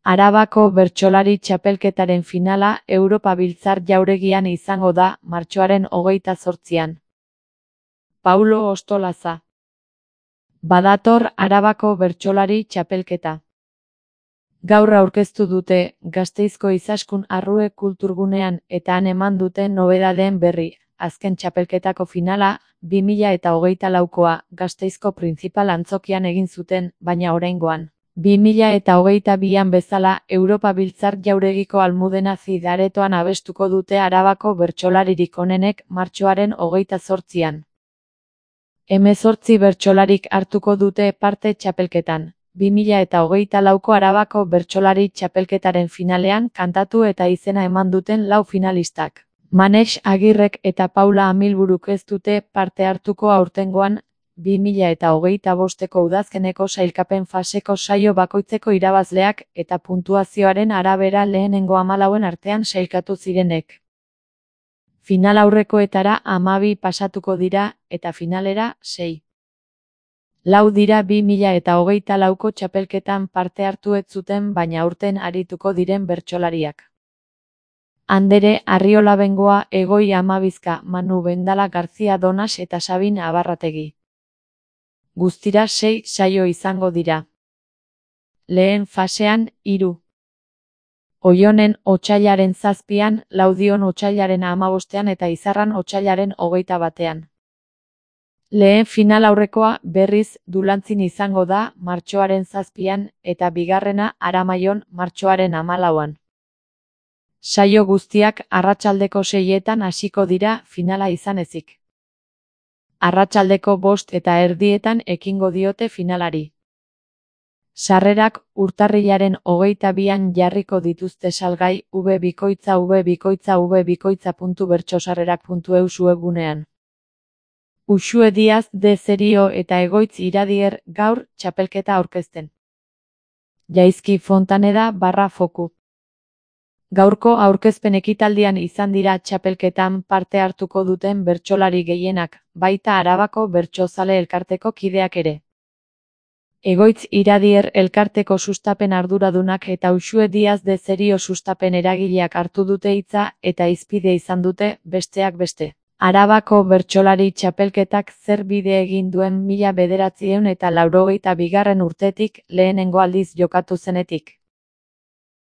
Arabako bertsolari txapelketaren finala Europa Biltzar Jauregian izango da martxoaren 28an. Paulo Ostolaza. Badator Arabako bertsolari txapelketa. Gaur aurkeztu dute Gasteizko Izaskun Arrue Kulturgunean eta han eman duten nobedadeen berri. Azken txapelketako finala 2024koa Gasteizko Printzipal Antzokian egin zuten, baina oraingoan 2022an bezala Europa Biltzar Jauregiko Almudena Cid aretoan abestuko dute Arabako bertsolaririk onenek martxoaren 28an. 18 bertsolarik hartuko dute parte txapelketan. 2024ko Arabako bertsolari txapelketaren finalean kantatu eta izena eman duten 4 finalistak. Manex Agirrek eta Paula Amilburuk ez dute parte hartuko aurtengoan 2025ko udazkeneko sailkapen faseko saio bakoitzeko irabazleak eta puntuazioaren arabera lehenengo 14 artean sailkatu zirenek. Final aurrekoetara 12 pasatuko dira eta finalera 6. 4 dira 2024ko txapelketan parte hartu ez zuten baina aurten arituko diren bertsolariak. Andere Arriola Bengoa, Egoi Amabizka, Manu Bendala Garzia Donas eta Sabin Abarrategi. Guztira 6 saio izango dira. Lehen fasean 3. Oionen otsailaren 7an, Laudion otsailaren 15ean eta Izarran otsailaren 21ean. Lehen final aurrekoa berriz Dulantzin izango da martxoaren 7an eta bigarrena Aramaion martxoaren 14an. Saio guztiak arratsaldeko 6etan hasiko dira finala izan ezik. Arratsaldeko 5:30 ekingo diote finalari. Sarrerak urtarrilaren 22an jarriko dituzte salgai www.bertsosarrerak.eu webgunean. Uxue Diaz de Zerio eta Egoitz Iradier gaur txapelketa aurkezten. Jaizki Fontaneda /Foku. Gaurko aurkezpen ekitaldian izan dira txapelketan parte hartuko duten bertsolari gehienak, baita Arabako Bertsozale Elkarteko kideak ere. Egoitz Iradier elkarteko sustapen arduradunak eta Uxue Diaz de Zerio sustapen eragileak hartu dute hitza eta hizpide izan dute, besteak beste. Arabako bertsolari txapelketak zer bide egin duen 1982 urtetik lehenengo aldiz jokatu zenetik.